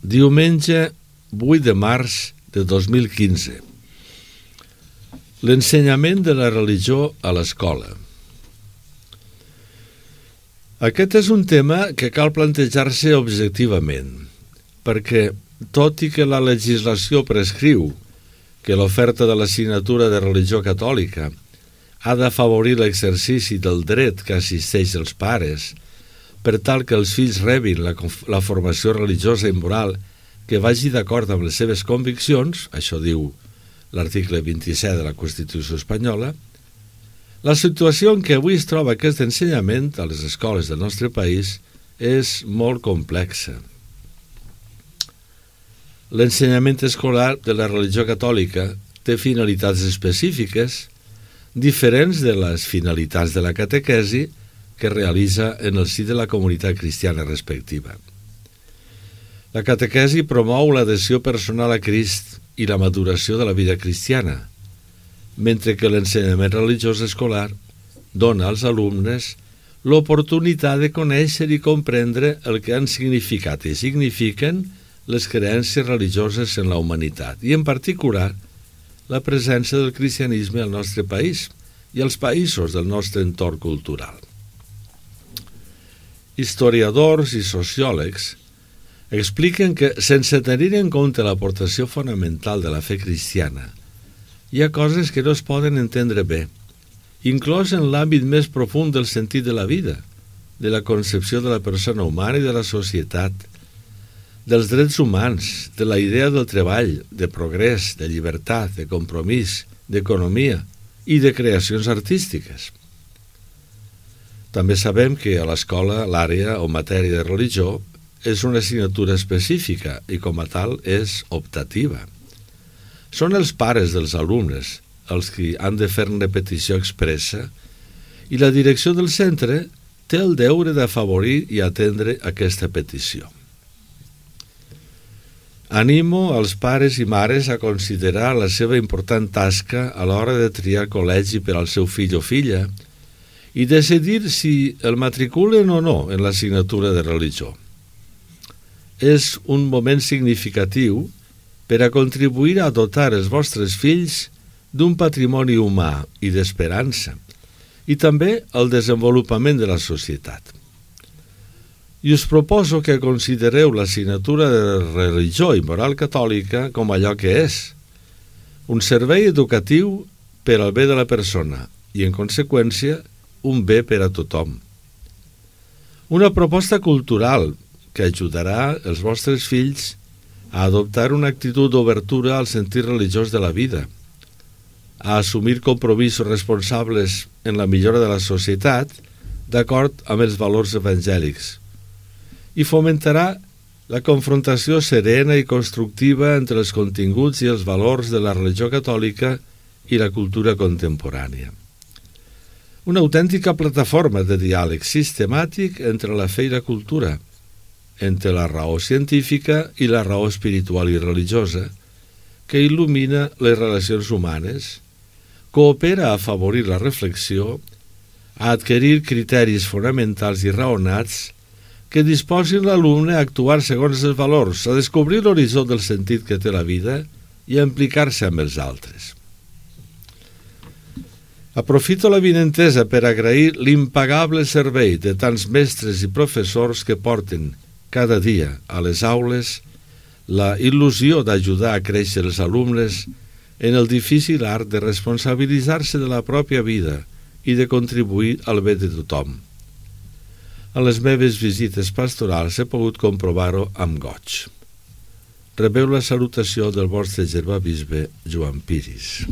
Diumenge 8 de març de 2015. L'ensenyament de la religió a l'escola. Aquest és un tema que cal plantejar-se objectivament, perquè, tot i que la legislació prescriu que l'oferta de l'assignatura de religió catòlica ha d'afavorir l'exercici del dret que assisteix als pares per tal que els fills rebin la formació religiosa i moral que vagi d'acord amb les seves conviccions, això diu l'article 27 de la Constitució espanyola, la situació en què avui es troba aquest ensenyament a les escoles del nostre país és molt complexa. L'ensenyament escolar de la religió catòlica té finalitats específiques diferents de les finalitats de la catequesi que realitza en el si de la comunitat cristiana respectiva. La catequesi promou l'adhesió personal a Crist i la maduració de la vida cristiana, mentre que l'ensenyament religiós escolar dona als alumnes l'oportunitat de conèixer i comprendre el que han significat i signifiquen les creences religioses en la humanitat, i en particular la presència del cristianisme al nostre país i als països del nostre entorn cultural. Historiadors i sociòlegs expliquen que, sense tenir en compte l'aportació fonamental de la fe cristiana, hi ha coses que no es poden entendre bé, inclòs en l'àmbit més profund del sentit de la vida, de la concepció de la persona humana i de la societat, dels drets humans, de la idea del treball, de progrés, de llibertat, de compromís, d'economia i de creacions artístiques. També sabem que a l'escola l'àrea o matèria de religió és una assignatura específica i com a tal és optativa. Són els pares dels alumnes els que han de fer-ne petició expressa i la direcció del centre té el deure d'afavorir i atendre aquesta petició. Animo als pares i mares a considerar la seva important tasca a l'hora de triar col·legi per al seu fill o filla i decidir si el matriculen o no en l'assignatura de religió. És un moment significatiu per a contribuir a dotar els vostres fills d'un patrimoni humà i d'esperança i també al desenvolupament de la societat. I us proposo que considereu l'assignatura de religió i moral catòlica com allò que és, un servei educatiu per al bé de la persona i, en conseqüència, un bé per a tothom. Una proposta cultural que ajudarà els vostres fills a adoptar una actitud d'obertura al sentit religiós de la vida, a assumir compromisos responsables en la millora de la societat d'acord amb els valors evangèlics i fomentarà la confrontació serena i constructiva entre els continguts i els valors de la religió catòlica i la cultura contemporània. Una autèntica plataforma de diàleg sistemàtic entre la fe i la cultura, entre la raó científica i la raó espiritual i religiosa, que il·lumina les relacions humanes, coopera a afavorir la reflexió, a adquirir criteris fonamentals i raonats que disposin l'alumne a actuar segons els valors, a descobrir l'horitzó del sentit que té la vida i a implicar-se amb els altres. Aprofito l'avinentesa per agrair l'impagable servei de tants mestres i professors que porten cada dia a les aules la il·lusió d'ajudar a créixer els alumnes en el difícil art de responsabilitzar-se de la pròpia vida i de contribuir al bé de tothom. A les meves visites pastorals he pogut comprovar-ho amb goig. Rebeu la salutació del vostre germà bisbe Joan Piris.